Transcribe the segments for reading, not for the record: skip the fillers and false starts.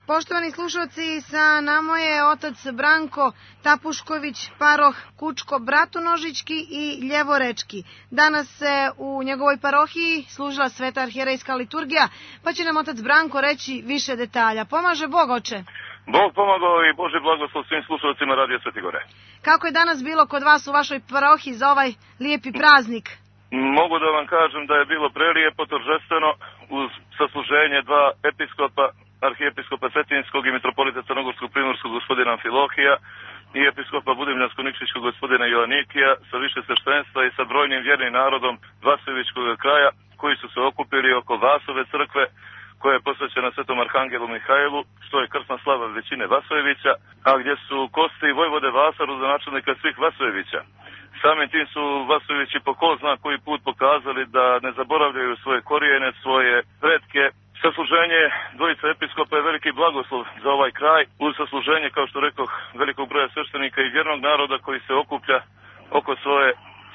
Poštovani slušalci, sa nama je otac Branko Tapušković, paroh Kučko-Bratonožički i Ljevorečki. Danas se u njegovoj parohiji služila sveta arhijerejska liturgija, pa će nam otac Branko reći više detalja. Pomaže Bog, oče? Bog pomagao i Bože blagoslov svim slušalcima Radio Sveti Gore. Kako je danas bilo kod vas u vašoj parohiji za ovaj lijepi praznik? Mogu da vam kažem da je bilo prelijepo, торжествено, uz sasluženje dva episkopa, arhijepiskopa Cetinskog i mitropolita Crnogorskog Primorskog gospodina Amfilohija i episkopa Budimljansko-Nikšićkog gospodina Joanikija sa više sveštenstva i sa brojnim vjernim narodom Vasojevičkog kraja koji su se okupili oko Vasove crkve koja je posvećena Svetom Arhangelu Mihajlu, što je krsna slava većine Vasojevića, a gdje su kosti vojvode Vasa, rodonačelnika svih Vasojevića. Samim tim su Vasojevići po ko zna koji put pokazali da ne zaboravljaju svoje korijene, svoje pretke. Sasluženje dvojice episkopa je veliki blagoslov za ovaj kraj, uz sasluženje, kao što rekoh, velikog broja sveštenika i vjernog naroda koji se okuplja oko svoje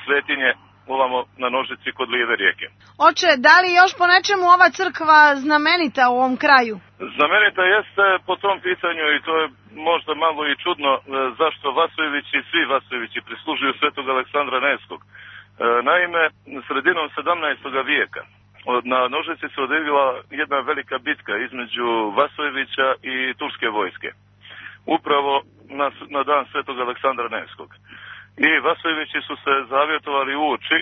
svetinje ovamo na Nožici kod Lijeve rijeke. Oče, da li još po nečemu ova crkva znamenita u ovom kraju? Znamenita jeste po tom pitanju i to je možda malo i čudno zašto Vasojevići, svi Vasojevići prislužuju svetog Aleksandra Nevskog. Naime, sredinom 17. vijeka na Nožici se odvila jedna velika bitka između Vasojevića i turske vojske. Upravo na dan svetog Aleksandra Nevskog. I Vasojevići su se zavjetovali uoči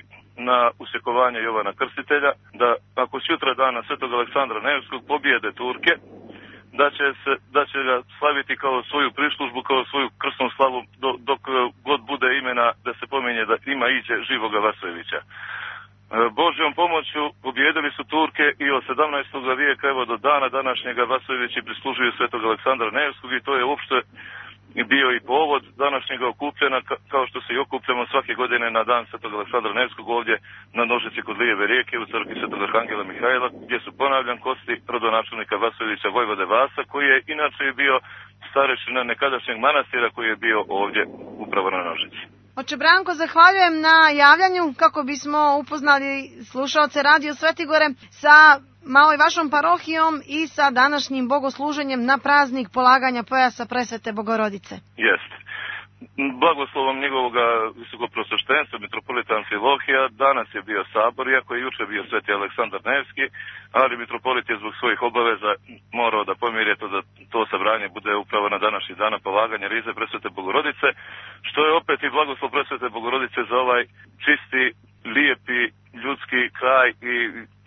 na usjekovanje Jovana Krstitelja da ako sutra dana svetog Aleksandra Nevskog pobijede Turke, da će ga slaviti kao svoju prislužbu, kao svoju krsnu slavu dok god bude imena da se pominje da ima iđe živoga Vasojevića. Božjom pomoću pobijedili su Turke i od 17. vijeka evo do dana današnjega Vasojevići prislužuju svetog Aleksandra Nevskog i to je uopšte bio i povod današnjega okupljena, kao što se i okupljamo svake godine na dan svetog Aleksandra Nevskog ovdje na Nožici kod Lijeve rijeke u crkvi svetog Arhangela Mihajla, gdje su, ponavljam, kosti rodonačelnika Vasojevića vojvode Vasa, koji je inače bio starešina nekadašnjeg manastira koji je bio ovdje upravo na Nožici. Oče Branko, zahvaljujem na javljanju kako bismo upoznali slušaoce Radio Svetigore sa malo i vašom parohijom i sa današnjim bogosluženjem na praznik polaganja pojasa Presvete Bogorodice. Jeste. Blagoslovom njegovoga visokoprosveštenstva mitropolita Amfilohija danas je bio sabor, iako je juče bio sveti Aleksandar Nevski, ali mitropolit je zbog svojih obaveza morao da pomiri da to sabranje bude upravo na današnji dan polaganja rize Presvete Bogorodice, što je opet i blagoslov Presvete Bogorodice za ovaj čisti, lijepi, ljudski kraj i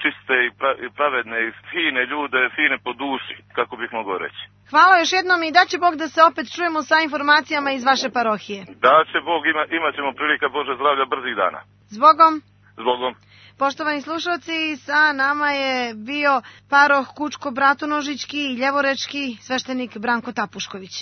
čiste i pravedne i fine ljude, fine po duši, kako bih mogao reći. Hvala još jednom i da će Bog da se opet čujemo sa informacijama iz vaše parohije. Da će Bog, imat ćemo prilika Bože zdravlja brzih dana. Zbogom. Zbogom. Poštovani slušalci, sa nama je bio paroh Kučko-Bratonožički i Ljevorečki sveštenik Branko Tapušković.